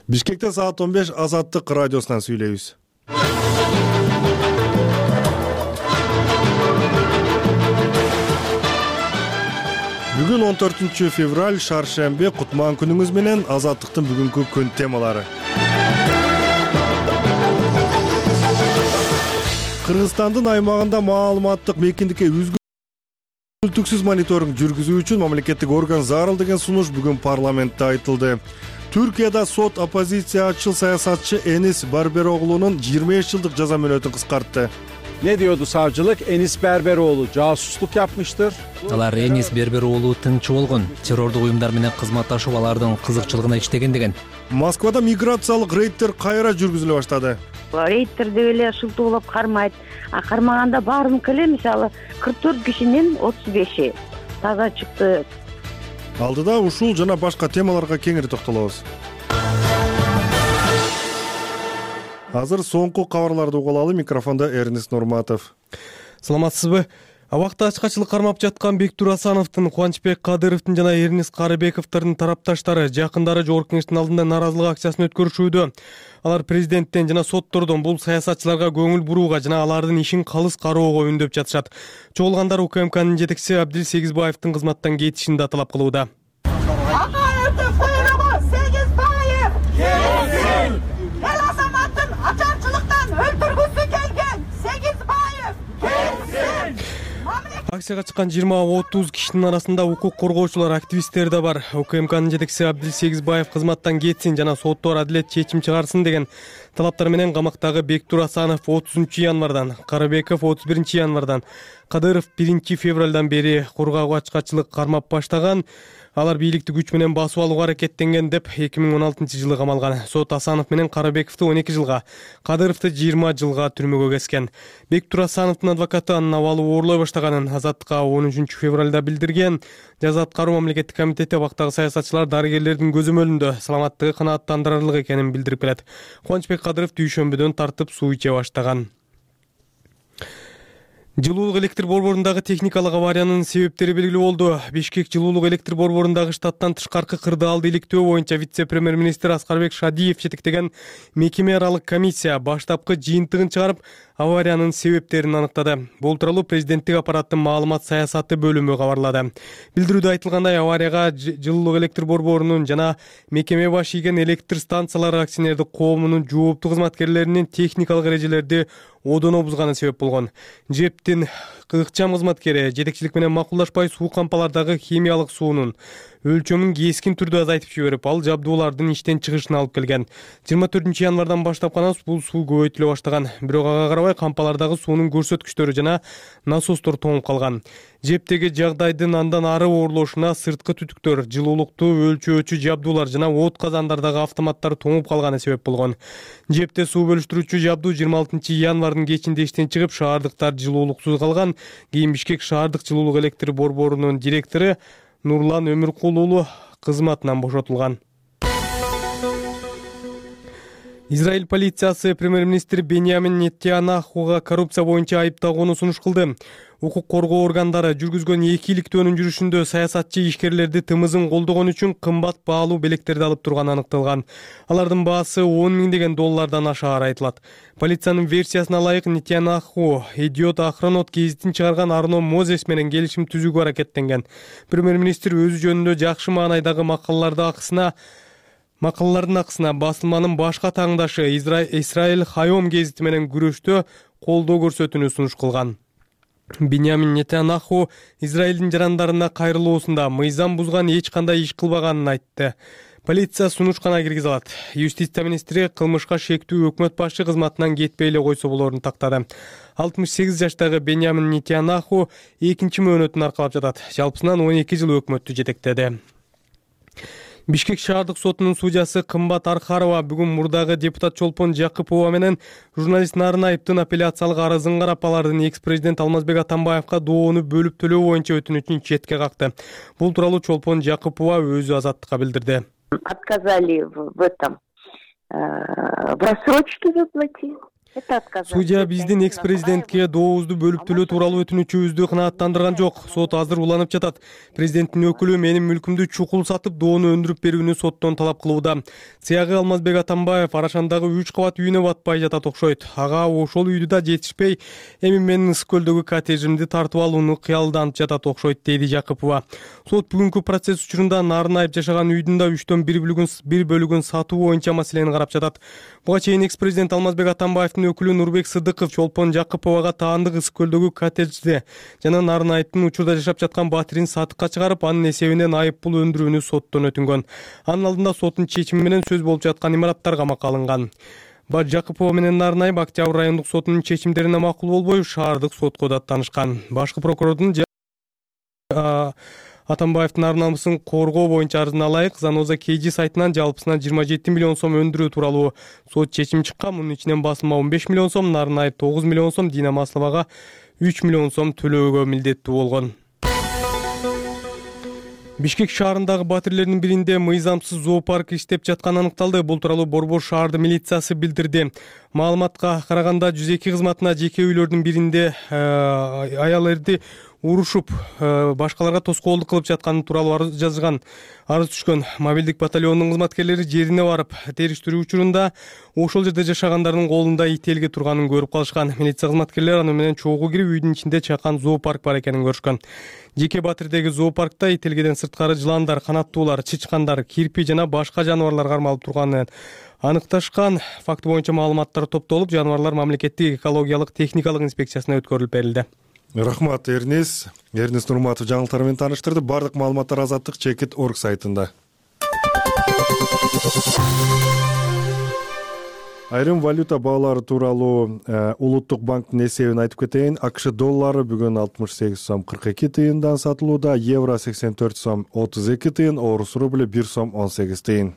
Бишкекте саат 15 Азаттык радиосунан сүйлөйбүз. Бүгүн 14 февраль, шаршембе, кутман күнүңүз менен. Азаттыктын бүгүнкү күн темалары. Кыргызстандын аймагында маалыматтык мейкиндикке үзгүлтүксүз мониторинг жүргүзүү үчүн мамлекеттик орган зарыл деген сунуш бүгүн парламентте айтылды. Түркияда сот оппозициячыл саясатчы Энис Барбероглунун 25 жылдык жаза мөөнөтүн кыскартты. Ne diyordu savcılık? Enis Berberoğlu casusluk yapmıştır. Алар Энис Бербероğlu тыңчы болгон, террордук уюмдар менен кызматташып алардын кызыкчылыгына иштеген деген. Москвада миграциялык рейдтер кайра жүргүзүлө баштады. Рейдтер деп эле шылтоолоп кармайт. Кармаганда баарыныкы эле мисалы 44 кишинин 35-и таза чыкты. Алдыда ушул жана башка темаларга кеңири токтолобуз. Азыр соңку кабарларды угулалы. Микрофонда Эрнис Нурматов. Саламатсызбы? Абакта ачкачылык кармап жаткан Бектур Асановдун, Кубанычбек Кадыровдун жана Эрнис Карыбековдун тарапташтары жакындары Жогорку Кеңештин алдында нааразылык акциясын өткөрүшүүдө. Алар президенттен жана соттордон бул саясатчыларга көңүл бурууга жана алардын ишин калыс кароого үндөп жатышат. Чогулгандар УКМКнын жетекчиси Абдил Сегизбаевдин кызматтан кетишин да талап кылууда. Акцияга чыккан 20-30 кишинин арасында укук коргоочулар, активисттер да бар. УКМКнын жетекчиси Абдил Сегизбаев кызматтан кетсин жана соттор адилет чечим чыгарсын деген талаптар менен камактагы Бектур Асанов 30-январдан, Карыбеков 31-январдан, Кадыров 1-февралдан бери кургак ачкачылык кармап баштаган. Алар бийликти күч менен басып алууга аракеттенген деп 2016-жылы камалган. Сот Асанов менен Карыбековду 12 жылга, Кадыровду 20 жылга түрмөгө кескен. Бектур Асановдун адвокаты анын абалы оорлой баштаганын Азаттыкка 13 февралда билдирген. Жаза аткаруу мамлекеттик комитети абактагы саясатчылар дарыгерлердин көзөмөлүндө саламаттыгы канааттандырарлык экенин билдирип келет. Кубанычбек Кадыров дүйшөмбүдөн тартып суу иче баштаган. Жылуулук электр борборундагы техникалык авариянын себептери белгилүү болду. Бишкек жылуулук электр борборундагы штаттан тышкаркы кырдаалды иликтөө боюнча вице-премьер-министр Аскарбек Шадиев жетектеген мекеме аралык комиссия баштапкы жыйынтыгын чыгарып, авариянын себептерин аныктады. Бул тууралуу президенттик аппараттын маалымат саясаты бөлүмү кабарлады. Билдирүүдө айтылгандай, аварияга жылуулук электр борборунун жана мекеме баш ийген электр станциялары акционердик коомунун жооптуу кызматкерлеринин техникалык эрежелерди одоно бузганы себеп болгон. ЖЭПтин ыкчам кызматкери жетекчилик менен макулдашпай суу кампалардагы химиялык суунун өлчөмүн кескин түрдө азайтып жиберип, ал жабдуулардын иштен чыгышына алып келген. 24-январдан баштап гана бул суу көбөйтүлө баштаган. Бирок ага карабай кампалардагы суунун көрсөткүчтөрү жана насостор тоңуп калган. ЖЭПтеги жагдайдын андан ары оорлошуна сырткы түтүктөр, жылуулукту өлчөөчү жабдуулар жана от казандардагы автоматтар тоңуп калганы себеп болгон. ЖЭПте суу бөлүштүрүүчү жабдуу 26-январдын кечинде иштен чыгып, шаардыктар жылуулуксуз калган. Кийин Бишкек шаардык жылуулук электр борборунун директору Нурлан Өмүркул уулу кызматынан бошотулган. Израиль полициясы премьер-министр Беньямин Нетаньяхуга коррупция боюнча айыптагууну сунуш кылды. Укук коргоо органдары жүргүзгөн 2 иликтөөнүн жүрүшүндө саясатчы ишкерлерди тымызын колдогон үчүн кымбат баалуу белектерди алып турганы аныкталган. Алардын баасы 10 миңдеген доллардан ашаар айтылат. Полициянын версиясына ылайык, Нетаньяху Идиот Ахронот гезитин чыгарган Арно Мозес менен келишим түзүүгө аракеттенген. Премьер-министр өзү жөнүндө жакшы маанайдагы макалалардын акысына басылманын башка таңдашы Исраэль Хайом гезити менен күрөштө колдоо көрсөтүүнү сунуш кылган. Беньямин Нетаньяху Израилдин жарандарына кайрылуусунда мыйзам бузган эч кандай иш кылбаганын айтты. Полиция сунушкана киргизе алат. Юстиция министри кылмышка шектүү өкмөт башы кызматынан кетпей эле койсо болорун тактады. 68 жаштагы Беньямин Нетаньяху 2-чи мөөнөтүн аркалап жатат. Жалпысынан 12 жыл өкмөттү жетектеди. Бишкек шаардык сотунун судьясы Кымбат Архарова бүгүн мурдагы депутат Чолпон Жакыпова менен журналист Нарынаевдин апелляциялык арызын карап, алардын экс-президент Алмазбек Атамбаевга доону бөлүп төлөө боюнча өтүнүчүн четке какты. Бул тууралуу Чолпон Жакыпова өзү Азаттыкка билдирди. Отказали в этом в рассрочке заплатить. Это отказать. Судья биздин экс-президентке доозду бөлүптүлөө тууралуу өтүнүчүбүздү канааттандырган жок. Сот азыр уланып жатат. Президенттин өкүлү менин мүлкүмдү чукул сатып, доону өндүрүп берүүнү соттон талап кылууда. Сыягы Алмазбек Атамбаев Арашандагы 3 кабат үйүнө батпай жатат окшойт. Ага ошол үйдү да жетишпей, эми менин Ысык көлдөгү коттеджимди тартып алууну кыялданып жатат окшойт, дейди Жакыпова. Сот бүгүнкү процесс учурунда Нарын айып жашаган үйдүн да 3төн 1 бөлүгүн сатуу боюнча маселени карап жатат. Буга чейин экс-президент Алмазбек Атамбаевдин өкүлү Нурбек Сыдыков Чолпон Жакыповага таандык Ысык көлдөгү коттеджди жана Нарын айыптын учурда жашап жаткан батирин сатыкка чыгарып, анын эсебинен айып пул өндүрүүнү соттон өтүнгөн. Анын алдында соттун чечими менен сөз болуп жаткан имараттар камакка алынган. Жакыпова менен Нарын айып Октябрь райондук сотунун чечимдерине макул болбой, шаардык сотко даттанышкан. Башкы прокурордун Атамбаевдин ар намысын коргоо боюнча арызын алайык Заноза KG сайтынан жалпысынан 27 миллион сом өндүрүү тууралуу сот чечими чыккан. Мунун ичинен басылма 15 миллион сом, Нарын айып 9 миллион сом, Дина Масловага 3 миллион сом төлөөгө милдеттүү болгон. Бишкек шаарындагы батирлердин биринде мыйзамсыз зоопарк иштеп жатканы аныкталды. Бул тууралуу Борбор шаарды милициясы билдирди. Маалыматка караганда 102 кызматына жеке үйлөрдүн биринде аял эрди урушуп, башкаларга тоскоолдук кылып жатканы тууралуу арыз жазган. Арыз түшкөн. Мобилдик батальонунун кызматкерлери жерине барып, териштирүү учурунда ошол жерде жашагандардын колунда ителги турганын көрүп калышкан. Милиция кызматкерлери аны менен чогуу кирип, үйдүн ичинде чакан зоопарк бар экенин көрүшкөн. Жеке батирдеги зоопаркта ителгиден сырткары жыландар, канаттуулар, чычкандар, кирпи жана башка жаныбарлар кармалып турганын аныкташкан. Факты боюнча маалыматтар топтолуп, жаныбарлар мамлекеттик экологиялык техникалык инспекциясына өткөрүлүп берилди. Рахмат, Эрнис Нурматов жаңылыктар менен тааныштырды. Бардык маалыматтар Азаттык Чекит.org сайтында. Айрым валюта баалары тууралуу Улуттук банктын эсебин айтып кетейин. АКШ доллары бүгүн 68 сом 42 тыйындан сатылууда, евро 84 сом 32 тыйын, орус рубль 1 сом 18 тыйын.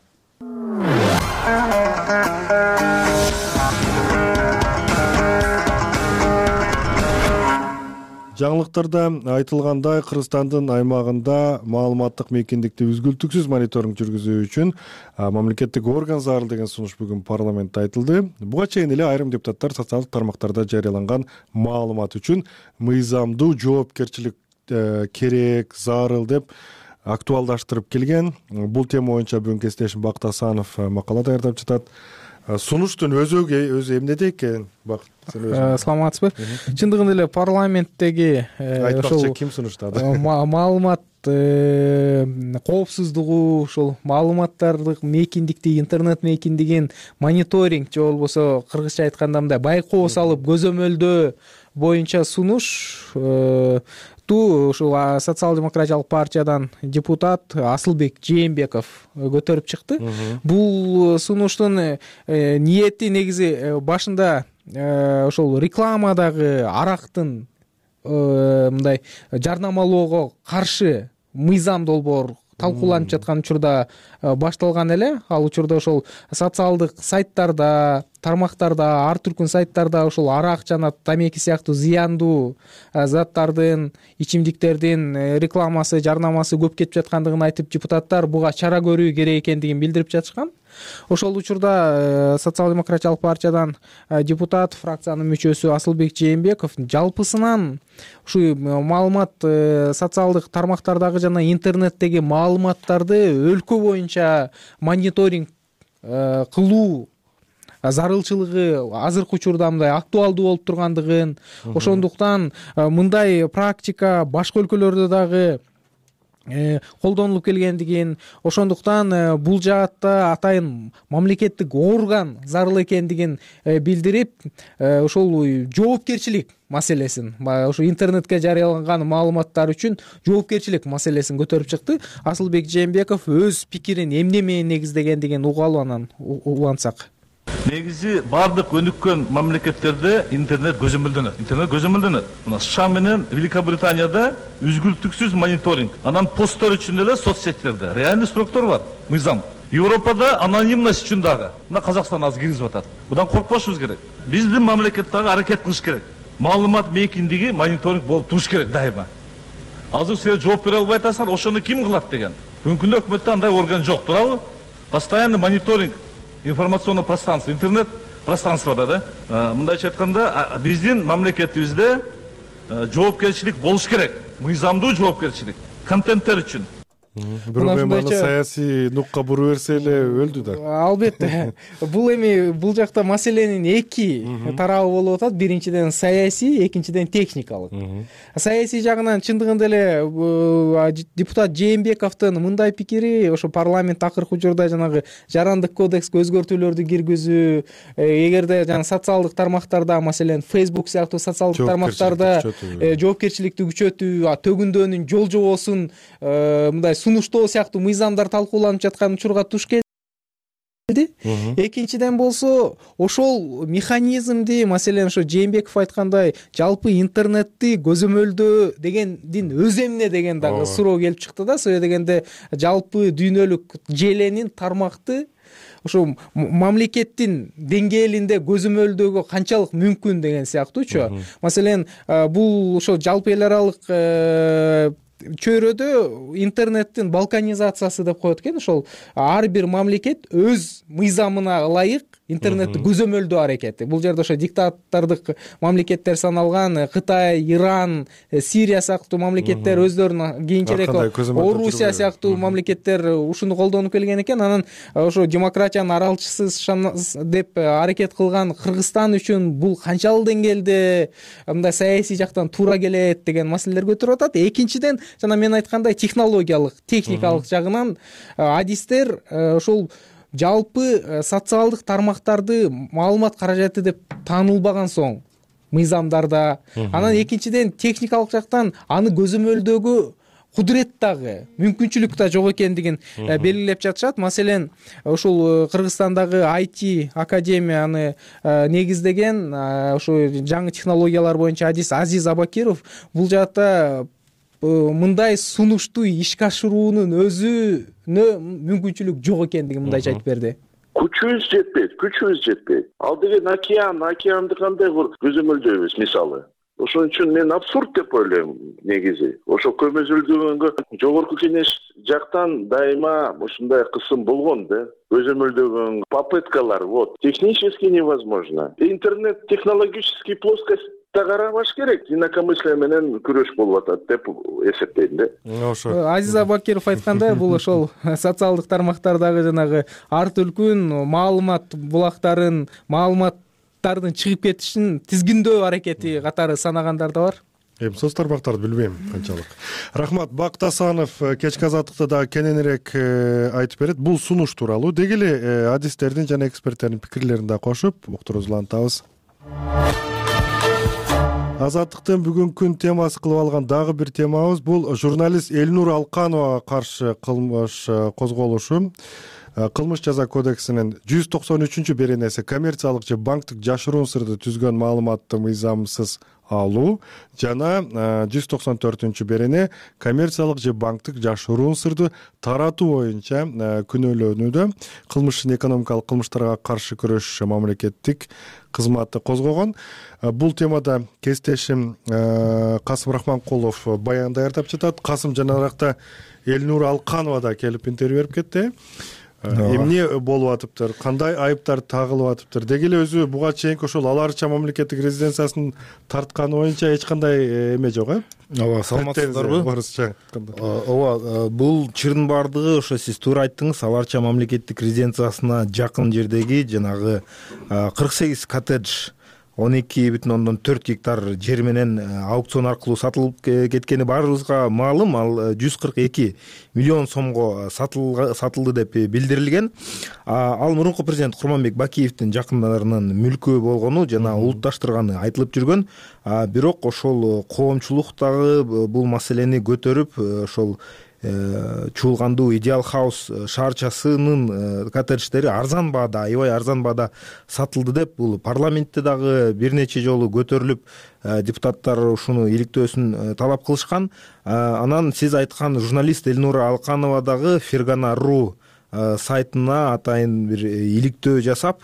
Жаңылыктарда айтылгандай, Кыргызстандын аймагында маалыматтык мейкиндикти үзгүлтүксүз мониторинг жүргүзүү үчүн мамлекеттик орган зарыл деген сунуш бүгүн парламентте айтылды. Буга чейин эле айрым депутаттар социалдык тармактарда жарыяланган маалымат үчүн мыйзамдуу жоопкерчилик керек, зарыл деп актуалдаштырып келген. Бул тема боюнча бүгүн кесиптешим Бакыт Асанов макала даярдап жатат. Сунуштун өзү эмнеде экен? Саламатсызбы? Чындыгында эле парламенттеги айтпакчы ким сунуштады? Маалымат коопсуздугу, ошол маалыматтардык мейкиндикти, интернет мейкиндигин мониторинг же болбосо кыргызча айтканда мындай байкоо салып көзөмөлдөө боюнча сунуш ушул социал-демократиялык партиядан депутат Асылбек Жээнбеков көтөрүп чыкты. Бул сунуштун ниети негизи башында ошол рекламадагы арактын мындай жарнамалоого каршы мыйзам долбоор талкууланып жаткан учурда башталган эле. Ал учурда ошол социалдык сайттарда, тармактарда, ар түркүн сайттарда ошол арак жана тамеки сыяктуу зыяндуу заттардын, ичимдиктердин рекламасы, жарнамасы көп кетип жаткандыгын айтып, депутаттар буга чара көрүү керек экендигин билдирип жатышкан. Ошол учурда социал-демократиялык партиядан депутат, фракциянын мүчөсү Асылбек Жээнбеков жалпысынан ушу маалымат социалдык тармактардагы жана интернеттеги маалыматтарды өлкө боюнча мониторинг кылуу зарылчылыгы азыркы учурда мындай актуалдуу болуп тургандыгын, ошондуктан мындай практика башка өлкөлөрдө дагы колдонулуп келгендигин, ошондуктан бул жаатта атайын мамлекеттик орган зарыл экендигин билдирип, ошол жоопкерчилик маселесин, ошо интернетке жарыяланган маалыматтар үчүн жоопкерчилик маселесин көтөрүп чыкты. Асылбек Жээнбеков өз пикирин эмне менен негиздегендигин угалы, анан улантсак. Негизи бардык өнүккөн мамлекеттерде интернет көзөмөлдөнөт. Мына США менен Великобританияда үзгүлтүксүз мониторинг. Анан посттор үчүн эле соцсеттерде реальный сроктор бар, мыйзам. Европада анонимность үчүн дагы. Мына Казакстан азыр киргизип атат. Будан коркпошубуз керек. Биздин мамлекет дагы аракет кылыш керек. Маалымат мейкиндиги мониторинг болуп туруш керек дайыма. Азыр сен жооп бере албай атасың, ошону ким кылат деген. Бүгүнкү өкмөттө андай орган жок, туурабы? Постоянный мониторинг информационного пространства, интернет пространствода да. Мындайча айтканда, биздин мамлекетибизде жоопкерчилик болуш керек. Мыйзамдуу жоопкерчилик контенттер үчүн. Бирок эми аны саясий нукка буруп берсе эле өлдү да. Албетте. Бул жакта маселенин эки тарабы болуп атат. Биринчиден саясий, экинчиден техникалык. Саясий жагынан чындыгында эле депутат Жээнбековдун мындай пикири, ошо парламент акыркы учурда жанагы жарандык кодекске өзгөртүүлөрдү киргизүү, эгерде жана социалдык тармактарда, маселен Facebook сыяктуу социалдык тармактарда жоопкерчиликти күчөтүү, төгүндөөнүн жол жобосун мындай сунуштоо сыяктуу мыйзамдар талкууланып жаткан учурга туш келди. Экинчиден болсо, ошол механизмди, маселен ошо Жээнбеков айткандай, жалпы интернетти көзөмөлдөө дегендин өз эмне деген дагы суроо келип чыкты да. Себеби дегенде жалпы дүйнөлүк желенин тармакты ошо мамлекеттин деңгээлинде көзөмөлдөөгө канчалык мүмкүн деген сыяктуучу. Маселен, бул ошо жалпы эл аралык чөйрөдө интернеттин балканизациясы деп коет экен. Ошол ар бир мамлекет өз мыйзамына ылайык интернетти көзөмөлдөө аракети. Бул жерде ошо диктатордук мамлекеттер саналган Кытай, Иран, Сирия сыяктуу мамлекеттер өздөрүнүн кийинчерээк Орусия сыяктуу мамлекеттер ушуну колдонуп келген экен. Анан ошо демократиянын аралчысы деп аракет кылган Кыргызстан үчүн бул канчалык деңгээлде мындай саясий жактан туура келет деген маселелер көтөрүп атат. Экинчиден, жана мен айткандай, технологиялык, техникалык жагынан адистер ошол жалпы социалдык тармактарды маалымат каражаты деп таанылбаган соң мыйзамдарда, анан экинчиден техникалык жактан аны көзөмөлдөөгө кудурет дагы, мүмкүнчүлүк да жок экендигин белгилеп жатышат. Маселен, ушул Кыргызстандагы IT академияны негиздеген ошо жаңы технологиялар боюнча адис Азиз Абакиров бул жакта мындай сунушту ишке ашыруунун өзүнө мүмкүнчүлүк жок экендигин мындайча айтып берди. Күчүбүз жетпейт. Ал деген океанды кандай көзөмөлдөйбүз мисалы. Ошон үчүн мен абсурд деп ойлойм негизи. Ошо көзөмөлдөгөнгө жогорку кеңеш жактан дайыма ушундай кысым болгон да. Көзөмөлдөгөн попыткалар, технически невозможно. Интернет технологический плоскость карабаш керек, инакомыслие менен күрөш болуп атат деп эсептейм да. Ошо Азиз Абакиров айткандай, бул ошол социалдык тармактардагы жанагы ар түркүн маалымат булактарын, маалыматтардын чыгып кетишин тизгиндөө аракети катары санагандар да бар. Эми соц тармактарды билбейм канчалык. Рахмат. Бакыт Асанов кечки азаттыкта да кененирээк айтып берет. Бул сунуш тууралуу деги эле адистердин жана эксперттердин пикирлерин да кошуп уктуруубузду улантабыз. Азаттыктын бүгүнкү темасы кылып алган дагы бир темабыз бул журналист Элнур Алкановага каршы кылмыш козголушу. Кылмыш жаза кодексинин 193-беренеси коммерциялык же банктык жашыруун сырды түзгөн маалыматты мыйзамсыз алуу жана 194-берене коммерциялык же банктык жашыруун сырды таратуу боюнча күнөөлөнүүдө. Кылмыштын экономикалык кылмыштарга каршы күрөш мамлекеттик кызматы козгогон. Бул темада кесиптешим Касым Рахманкулов баян даярдап жатат. Касым жанаракта Элнур Алканова да келип интервью берип кетти. Эмне болуп атыптыр, кандай айыптар тагылып атыптыр, деги эле өзү буга чейинки ошол аларча мамлекеттик резиденциясын тартканы боюнча эч кандай эме жок, Ооба, саламатсыздарбы? Ооба, бул чырдын бардыгы ошо сиз туура айттыңыз, аларча мамлекеттик резиденциясына жакын жердеги жанагы 48 коттедж 12,4 гектар жер менен аукцион аркылуу сатылып кеткени баарыбызга маалым. Ал 142 миллион сомго сатылды деп билдирилген. Ал мурунку президент Курманбек Бакиевдин жакындарынын мүлкү болгону жана улутташтырганы айтылып жүргөн. Бирок ошол коомчулук дагы бул маселени көтөрүп, ошол чуулгандуу Идеал Хаус шаарчасынын коттедждери арзан баада, аябай арзан баада сатылды деп бул парламентте дагы бир нече жолу көтөрүлүп, депутаттар ушуну иликтөөсүн талап кылышкан. Анан сиз айткан журналист Элнура Алканова дагы Фергана.ру сайтына атайын бир иликтөө жасап,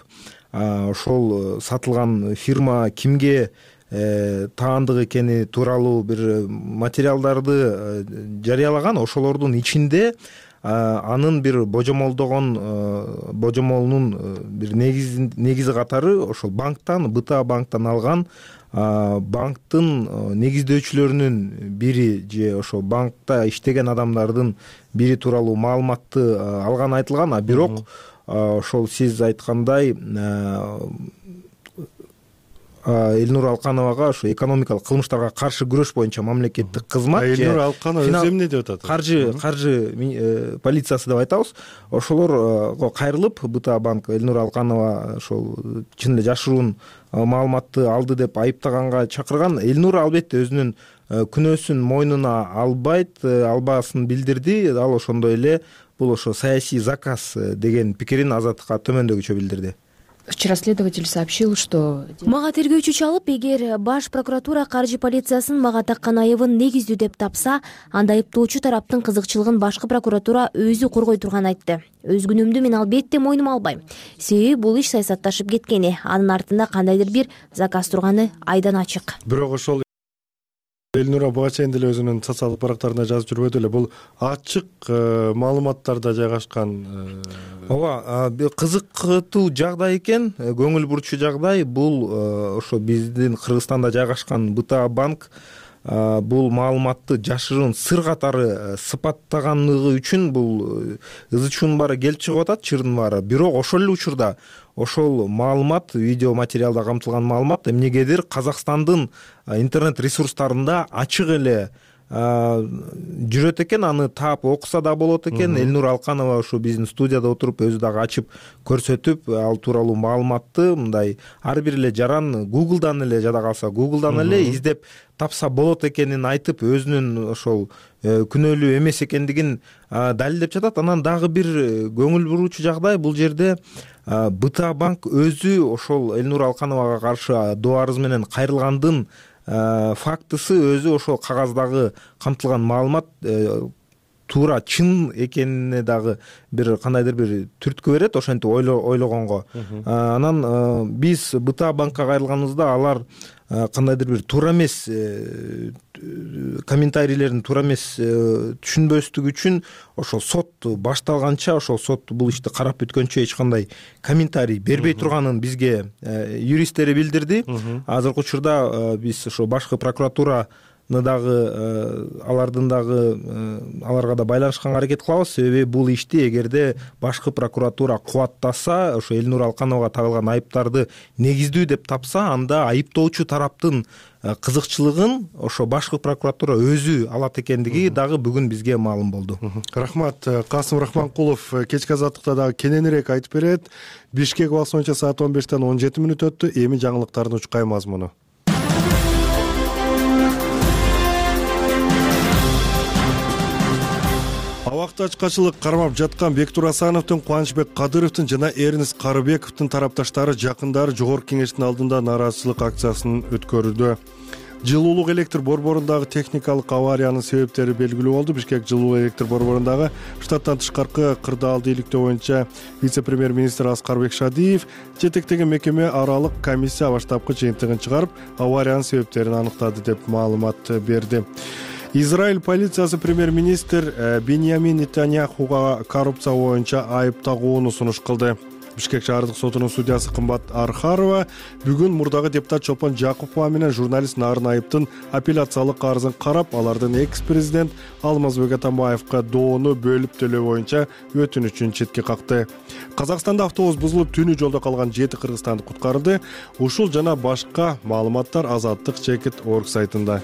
ошол сатылган фирма кимге таандык экени тууралуу бир материалдарды жарыялаган. Ошолордун ичинде анын бир божомолунун бир негизи катары ошол банктан, БТА банктан алган банктын негиздөөчүлөрүнүн бири же ошол банкта иштеген адамдардын бири тууралуу маалыматты алганы айтылган. А бирок ошол сиз айткандай Элнур Алкановага ошо экономикалык кылмыштарга каршы күрөш боюнча мамлекеттик кызмат, Элнур Алканов өзү эмне деп атат? Каржы полициясы деп айтабыз. Ошолорго кайрылып, БТА банк Элнур Алканова ошол чын эле жашыруун маалыматты алды деп айыптаганга чакырган. Элнур албетте өзүнүн күнөөсүн мойнуна албасын билдирди. Ал ошондой эле бул ошо саясий заказ деген пикирин Азаттыкка төмөндөгүчө билдирди. Вчера следователь сообщил, что... Мага тергөөчү чалып, эгер баш прокуратура каржы полициясын мага таккан айыбын негиздүү деп тапса, анда айыптоочу тараптын кызыкчылыгын башкы прокуратура өзү коргой турганын айтты. Өз күнөөмдү мен албетте мойнума албайм. Себеби бул иш саясатташып кеткени, анын артында кандайдыр бир заказ турганы айдан ачык. Бирок ошол Элнура буга чейин деле өзүнүн социалдык барактарында жазып жүрбөдү эле, бул ачык маалыматтарда жайгашкан. Ооба, кызыктуу жагдай экен, көңүл бурчу жагдай. Бул ошо биздин Кыргызстанда жайгашкан БТА банк бул маалыматты жашыруун сыр катары сыпаттаганлыгы үчүн бул ызы-чуунун баары келип чыгып атат, чырдын баары. Бирок ошол эле учурда ошол маалымат, видео материалда камтылган маалымат эмнегедир Казакстандын интернет ресурстарында ачык эле жүрөт экен, аны таап окуса да болот экен. Элнур Алканова ошо биздин студияда отуруп өзү дагы ачып көрсөтүп, ал тууралуу маалыматты мындай ар бир эле жаран Google'дан эле жада калса Google'дан эле издеп тапса болот экенин айтып, өзүнүн ошол күнөөлүү эмес экендигин далилдеп жатат. Анан дагы бир көңүл буруучу жагдай, бул жерде БТА банк өзү ошол Элнур Алкановага каршы доо арыз менен кайрылгандын фактысы өзү ошол кагаздагы камтылган маалымат туура чын экенине дагы бир кандайдыр бир түрткү берет, ошентип ойлогонго. Анан биз БТА банкка кайрылганыбызда алар кандайдыр бир туура эмес комментарийлерин туура эмес түшүнбөстүгү үчүн ошол сот башталганча, ошол сот бул ишти карап бүткөнчө эч кандай комментарий бербей турганын бизге юристтери билдирди. Азыркы учурда биз ошо башкы прокуратураны дагы аларга да байланышканга аракет кылабыз. Себеби бул ишти эгерде башкы прокуратура кубаттаса, ошо Элнур Алкановага тагылган айыптарды негиздүү деп тапса, анда айыптоочу тараптын кызыкчылыгын ошо башкы прокуратура өзү алат экендиги дагы бүгүн бизге маалым болду. Рахмат. Касым Рахманкулов кечки азаттыкта дагы кененирээк айтып берет. Бишкек убакыты боюнча саат 15-тен 17 мүнөт өттү. Эми жаңылыктардын учкай мазмуну. Абакта ачкачылык кармап жаткан Бектур Асановдун, Кубанычбек Кадыровдун жана Эрнест Карыбековдун тарапташтары жакындары Жогорку Кеңештин алдында нааразычылык акциясын өткөрүүдө. Жылуулук электр борборундагы техникалык авариянын себептери белгилүү болду. Бишкек жылуу электр борборундагы штаттан тышкаркы кырдаалды иликтөө боюнча вице-премьер-министр Аскарбек Шадиев жетектеген мекеме аралык комиссия баштапкы жыйынтыгын чыгарып, авариянын себептерин аныктады деп маалымат берди. Израиль полициясы премьер-министр Биньямин Нетаньяхуга коррупция боюнча айып тагууну сунуш кылды. Бишкек шаардык сотунун судьясы Кымбат Архарова бүгүн мурдагы депутат Чолпон Жакупова менен журналист Нарын Айыптын апелляциялык арызын карап, алардын экс-президент Алмазбек Атамбаевка доону бөлүп төлөө боюнча өтүнүчүн четке какты. Казакстанда автобус бузулуп түнү жолдо калган 7 кыргызстандык куткарылды. Ушул жана башка маалыматтар Азаттык.org сайтында.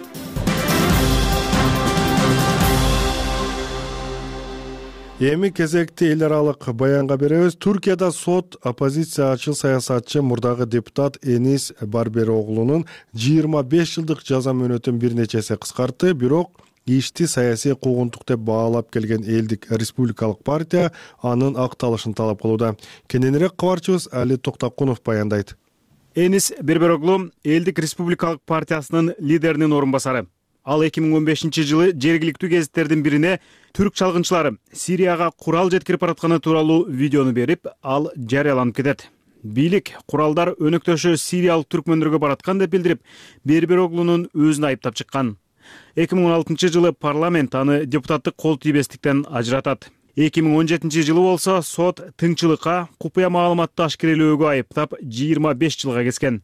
Эми кезекти эл аралык баянга беребиз. Түркияда сот оппозициячы саясатчы мурдагы депутат Энис Барбероглунун 25 жылдык жаза мөөнөтүн бир нече эсе кыскартты. Бирок ишти саясий куугунтук деп баалап келген элдик республикалык партия анын акталышын талап кылууда. Кененирээк кабарчыбыз Али Токтакунов баяндайт. Энис Барбероглу элдик республикалык партиясынын лидеринин орун басары. Ал 2015 жылы жергиликтүү гезиттердин бирине түрк чалгынчылары Сирияга курал жеткирип баратканы тууралуу видеону берип, ал жарыяланып кетет. Бийлик куралдар өнөктөшү сириялык түркмөндөргө бараткан деп билдирип, Барбероглунун өзүн айыптап чыккан. 2016 жылы парламент аны депутаттык кол тийбестиктен ажыратат. 2017-жылы болсо сот тыңчылыкка, купуя маалыматты ашкерелөөгө айыптап 25 жылга кескен.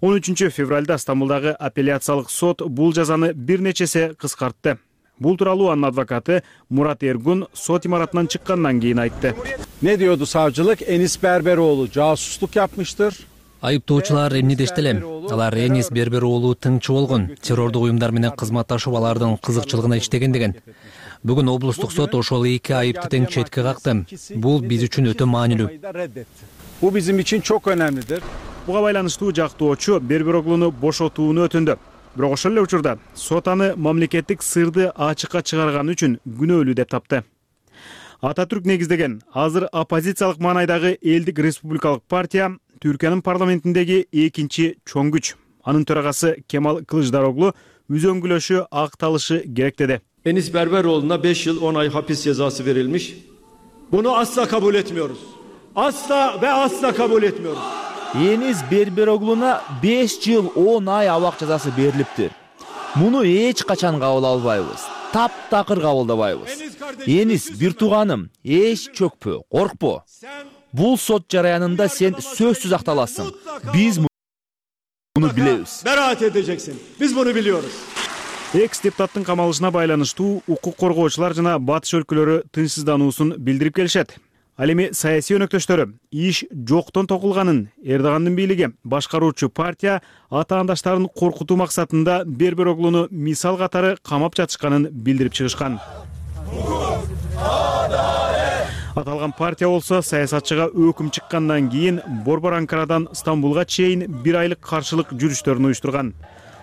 13 февралда Стамбулдагы апелляциялык сот бул жазаны бир нече эсе кыскартты. Бул тууралуу анын адвокаты Мурат Эргун сот имаратынан чыккандан кийин айтты. Ne diyordu savcılık? Enis Berberoğlu casusluk yapmıştır. Айыптоочулар эмне дешти эле? Алар Энис Бербер уулу тыңчы болгон, террордук уюмдар менен кызматташып алардын кызыкчылыгына иштеген деген. Бүгүн облустук сот ошол эки айыпты тең четке какты. Бул биз үчүн өтө маанилүү. Bu bizim için çok önemlidir. Буга байланыштуу жактоочу Бербероглуну бошотууну өтүндү. Бирок ошол эле учурда сот аны мамлекеттик сырды ачыкка чыгарганы үчүн күнөөлүү деп тапты. Ататүрк негиздеген азыр оппозициялык маанайдагы элдик республикалык партия Түркиянын парламентиндеги экинчи чоң күч. Анын төрагасы Кемал Кылычдароглу үзөңгүлөшү акталышы керек деди. Enis Berberoğlu'na 5 yıl 10 ay hapis cezası verilmiş. Bunu asla kabul etmiyoruz. Asla ve asla kabul etmiyoruz. Enis Berberoğlu'na 5 yıl 10 ay abak cezası beriliptir. Bunu hiç kaçan kabul albayбыз. Таптакыр кабылдабайбыз. Enis bir туганым, эч чөкпө, коркпо. Бул сот жараянында сен сөзсүз акталасың. Биз муну билебиз. Beraat edeceksin. Biz bunu biliyoruz. Экс-депутаттын камалышына байланыштуу укук коргоочулар жана батыш өлкөлөрү тынчсыздануусун билдирип келишет. Ал эми саясий өнөктөштөрү иш жоктон токулганын, Эрдогандын бийлиги башкаруучу партия атаандаштарын коркутуу максатында Бербероглуну мисал катары камап жатышканын билдирип чыгышкан. Аталган партия болсо саясатчыга өкүм чыккандан кийин Борбор Анкарадан Стамбулга чейин бир айлык каршылык жүрүштөрүн уюштурган.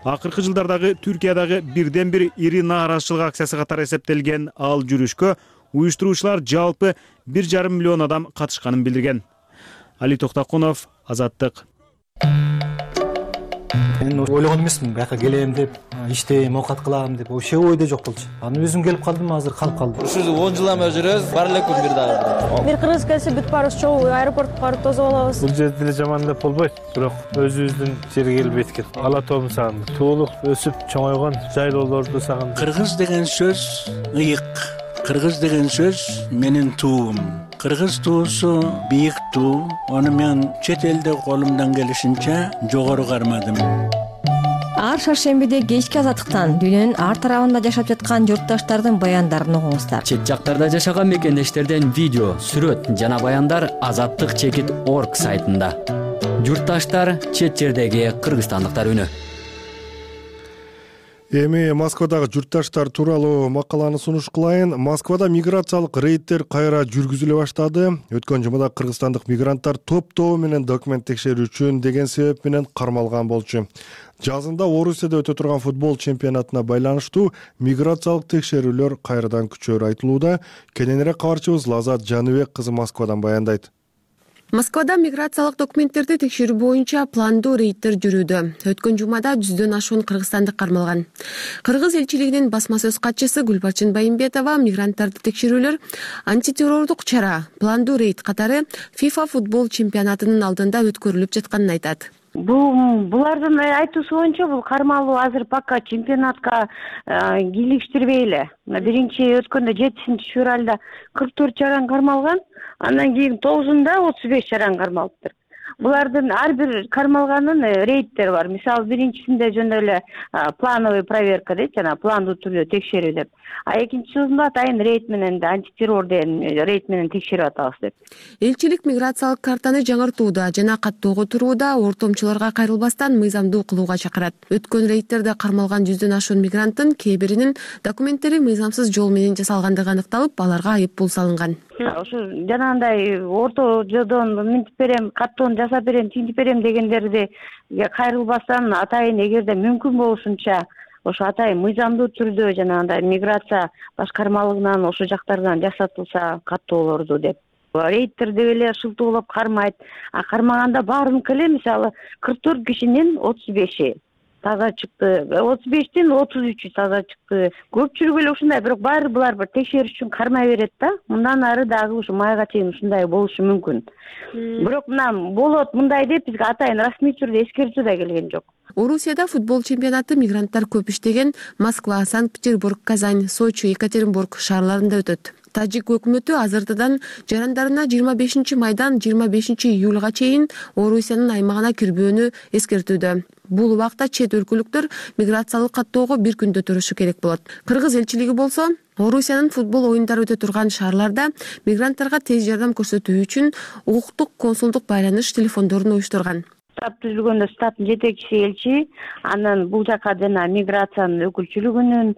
Акыркы жылдардагы Түркиядагы бирден бир ири нааразычылык акциясы катары эсептелген ал жүрүшкө уюштуруучулар жалпы 1,5 миллион адам катышканын билдирген. Али Токтакунов, Азаттык. Мен ойлогон эмесмин, бияка келем деп, иштейм, оокат кылам деп, ошо ойдо жок болчу. Аны өзүм келип калдым, азыр калып калдым. Ушу 10 жылдан бери жүрөбүз, бар эле күн бир дагы. Бир кыргыз келсе бүт баарыбыз чогуу аэропортко барып тосуп алабыз. Бул жерде деле жаман деп болбойт, бирок өзүбүздүн жерге келип эткен. Ала тообун сагындым. Туулук өсүп чоңойгон жайлоолорду сагындым. Кыргыз деген сөз ыйык. Кыргыз деген сөз менин туум. Кыргыз туусу бийик туу. Аны мен чет элде колумдан келишинче жогору кармадым. Ар шаршембиде кечки азаттыктан дүйнөнүн ар тарабында жашап жаткан журтташтардын баяндарын угуңуздар. Чет жактарда жашаган мекендештерден видео, сүрөт жана баяндар azattik.org сайтында. Журтташтар, чет жердеги кыргызстандыктар үнү. Эми Москвадагы журтташтар тууралуу макаланы сунуш кылайын. Москвада миграциялык рейдтер кайра жүргүзүлө баштады. Өткөн жумада кыргызстандык мигранттар топтоо менен документ текшерүү үчүн деген себеп менен кармалган болчу. Жазында Орусияда өтө турган футбол чемпионатына байланыштуу миграциялык текшерүүлөр кайрадан күчөөрү айтылууда. Кененирээк кабарчыбыз Лазат Жаныбек кызы Москвадан баяндайт. Москвада миграциялык документтерди текшерүү боюнча пландуу рейдтер жүрүүдө. Өткөн жумада 100дөн ашуун кыргызстандык кармалган. Кыргыз элчилигинин басма сөз катчысы Гүлбарчын Байымбетова мигранттарды текшерүүлөр антитеррордук чара, пландуу рейд катары FIFA футбол чемпионатынын алдында өткөрүлүп жатканын айтат. Булардын айтуусу боюнча бул кармалуу азыр пока чемпионатка кийлиштирбей эле. Биринчи өткөндө 7-февралда 44 чаран кармалган, андан кийин 9-да 35 чаран кармалыптыр. Булардын ар бир кармалганын рейдтери бар. Мисалы биринчисинде жөн эле плановый проверка дейт, жана пландуу түрдө текшерүү деп. А экинчисинде атайын рейд менен антитеррор деген рейд менен текшерип атабыз деп. Элчилик миграциялык картаны жаңыртууда жана каттоого турууда ортомчуларга кайрылбастан мыйзамдуу кылууга чакырат. Өткөн рейдтерде кармалган 100дөн ашуун мигранттын кээ биринин документтери мыйзамсыз жол менен жасалгандыгы аныкталып, аларга айып пул салынган. Ошо жанагындай орто жолдон минтип берем, каттоону жасап берем, тинтип берем дегендерди кайрылбастан атайын эгерде мүмкүн болушунча ошо атайын мыйзамдуу түрдө жанагындай миграция башкармалыгынан ошо жактардан жасатылса каттоолорду деп. Рейдтер деп эле шылтоолоп кармайт. Кармаганда баарыныкы эле мисалы 44 кишинин 35 таза чыкты, 35тен 33 таза чыкты. Көпчүлүгү эле ушундай, бирок баары булар бир текшериш үчүн кармай берет да. Мындан ары дагы ушу майга чейин ушундай болушу мүмкүн. Бирок мына болот мындай деп бизге атайын расмий түрдө эскертүү да келген жок. Орусияда футбол чемпионаты мигранттар көп иштеген Москва, Санкт-Петербург, Казань, Сочи, Екатеринбург шаарларында өтөт. Тажик өкмөтү азыртадан жарандарына 25 майдан 25 июлга чейин Орусиянын аймагына кирбөөнү эскертүүдө. Бул убакта чет өлкөлүктөр миграциялык каттоого бир күндө турушу керек болот. Кыргыз элчилиги болсо Орусиянын футбол оюндары өтө турган шаарларда мигранттарга тез жардам көрсөтүү үчүн укуктук консулдук байланыш телефондорун уюштурган. Штаб түзүлгөндө штабтын жетекчиси элчи, анан бул жака жана миграциянын өкүлчүлүгүнүн,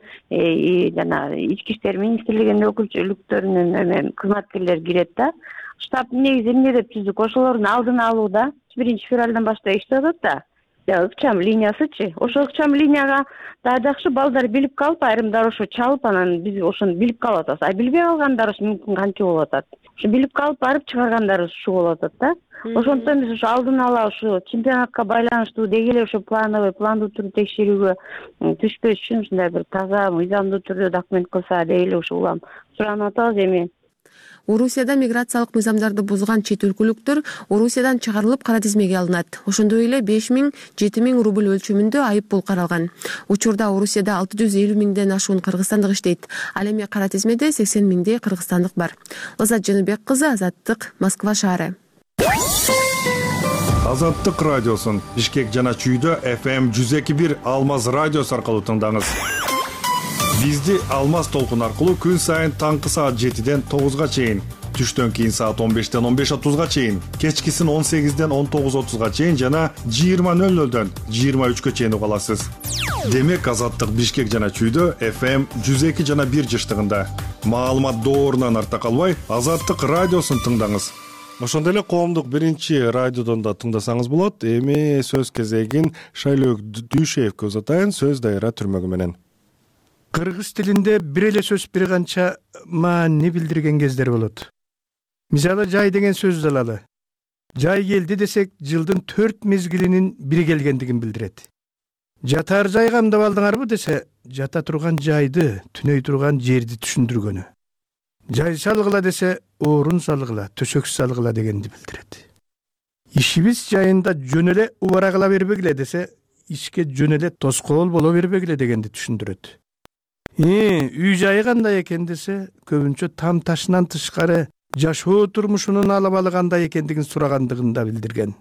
жана ички иштер министрлигинин өкүлчүлүктөрүнүн кызматкерлери кирет да. Штабтын негизи эмне деп түздүк? Ошолордун алдын алууда 1-февралдан баштап иштеп атат да. Ыкчам линиясычы. Ошо ыкчам линияга да жакшы балдар билип калып, айрымдар ошо чалып, анан биз ошону билип калып атабыз. А билбей калгандар мүмкүн канча болуп атат. Ошо билип калып барып чыгаргандар ушу болуп атат да. Ошондон биз ошо алдын ала ушу чемпионатка байланыштуу деги эле ошо пландуу түрдө текшерүүгө түшпөш үчүн ушундай бир таза, мыйзамдуу түрдө документ кылса деп эле ушу улам суранып атабыз. Эми Орусияда миграциялык мыйзамдарды бузган чет өлкөлүктөр Орусиядан чыгарылып кара тизмеге алынат. Ошондой эле 5 000–7 000 рубль өлчөмүндө айып пул каралган. Учурда Орусияда 650 000ден ашуун кыргызстандык иштейт. Ал эми кара тизмеде 80 000 кыргызстандык бар. Лазат Жаныбек кызы, Азаттык, Москва шаары. Азаттык радиосун Бишкек жана Чүйдө FM 102.1 Алмаз радиосу аркылуу тыңдаңыз. Бизди Алмаз толкун аркылуу күн сайын таңкы саат 7ден 9га чейин, түштөн кийин саат 15ден 15:30га чейин, кечкисин 18ден 19:30га чейин жана 20:00дөн 23гө чейин уга аласыз. Демек Азаттык Бишкек жана Чүйдө FM 102 жана 1 жыштыгында. Маалымат доорунан арта калбай, Азаттык радиосун тыңдаңыз. Ошондой эле коомдук биринчи радиодон да тыңдасаңыз болот. Эми сөз кезегин Шайлөөк Дүйшеевке узатайын, сөз дайыра түрмөгү менен. Кыргыз тилинде бир эле сөз бир канча маани билдирген кездер болот. Мисалы жай деген сөздү алалы. Жай келди десек, жылдын 4 мезгилинин бири келгендигин билдирет. Жатар жай камдап алдыңарбы десе, жата турган жайды, түнөй турган жерди түшүндүргөнү. Жай салгыла десе, орун салгыла, төшөк салгыла дегенди билдирет. Ишибиз жайында жөн эле убара кыла бербегиле десе, ишке жөн эле тоскоол боло бербегиле дегенди түшүндүрөт. Үй жайы кандай экен десе, көбүнчө там ташынан тышкары жашоо турмушунун алабалы кандай экендигин сурагандыгын да билдирген.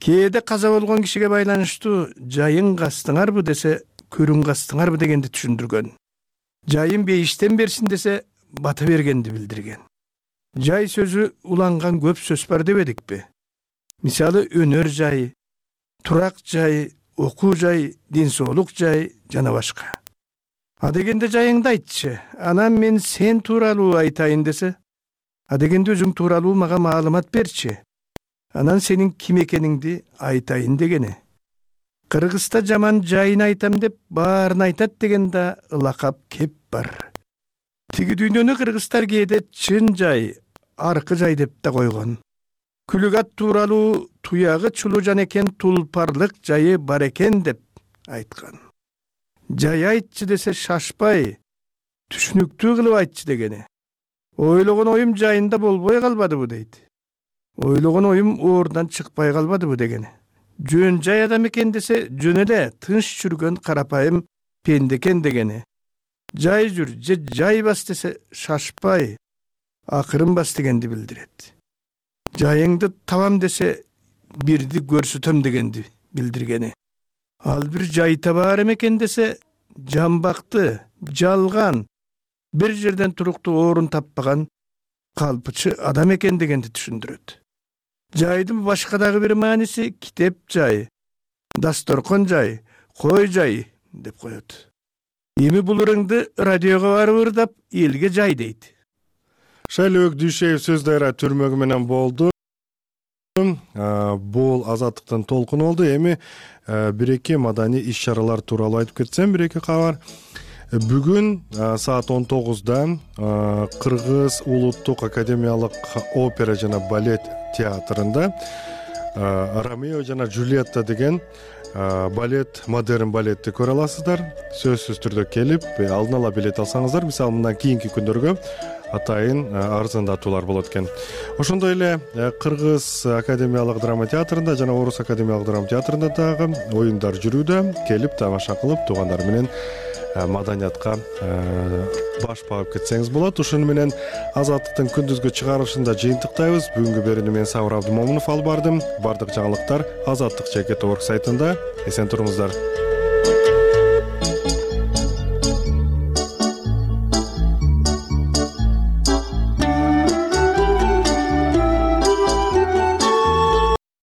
Кээде каза болгон кишиге байланыштуу жайын кастыңарбы десе, көрүн кастыңарбы дегенди түшүндүргөн. Жайын бейиштен берсин десе, бата бергенди билдирген. Жай сөзү уланган көп сөз бар дебедикпи? Мисалы өнөр жайы, турак жайы, окуу жайы, ден соолук жайы жана башка. Адегенде жайыңды айтчы, анан мен сен тууралуу айтайын десе, адегенде өзүң тууралуу мага маалымат берчи, анан сенин ким экениңди айтайын дегени. Кыргызда жаман жайын айтам деп баарын айтат деген да лакап кеп бар. Тиги дүйнөнү кыргыздар кээде чын жай, аркы жай деп да койгон. Күлүгат тууралуу туягы чулужан экен, тулпарлык жайы бар экен деп айткан. Жай айтчы десе шашпай, түшүнүктүү кылып айтчы дегени. Ойлогон оюм жайында болбой калбадыбы дейт. Ойлогон оюм оорунан чыкпай калбадыбы дегени. Жөн жай адам экен десе, жөн эле тынч жүргөн карапайым пенде экен дегени. Жай жүр, же жай бас десе шашпай, акырын бас дегенди билдирет. Жайыңды табам десе, бирди көрсөтөм дегенди билдиргени. Ал бир жай табаар экен десе, жамбакты, жалган, бир жерден туруктуу орун таппаган калпычы адам экен дегенди түшүндүрөт. Жайдын башка дагы бир мааниси китеп жай, дасторкон жай, кой жай деп коет. Эми бул ырыңды радиого барып ырдап, элге жай дейт. Шайлөөк Дүйшеев сөз дайыра түрмөгү менен болду. Бул Азаттыктын толкуну болду. Эми бир-эки маданий иш-чаралар тууралуу айтып кетсем, бир-эки кабар. Бүгүн саат 19-да Кыргыз Улуттук академиялык опера жана балет театрында Ромео жана Джульетта деген балет, модерн балетти көрө аласыздар. Сөзсүз түрдө келип, алдын ала билет алсаңыздар, мисалы мындан кийинки күндөргө атайын арзандатуулар болот экен. Ошондой эле Кыргыз академиялык драма театрында жана Орус академиялык драма театрында дагы оюндар жүрүүдө. Келип тамаша кылып, туугандар менен маданиятка баш багып кетсеңиз болот. Ушуну менен Азаттыктын күндүзгү чыгарылышында жыйынтыктайбыз. Бүгүнкү берүүнү мен Сабыр Абдымомунов алып бардым. Бардык жаңылыктар Азаттык.org сайтында. Эсен туруңуздар.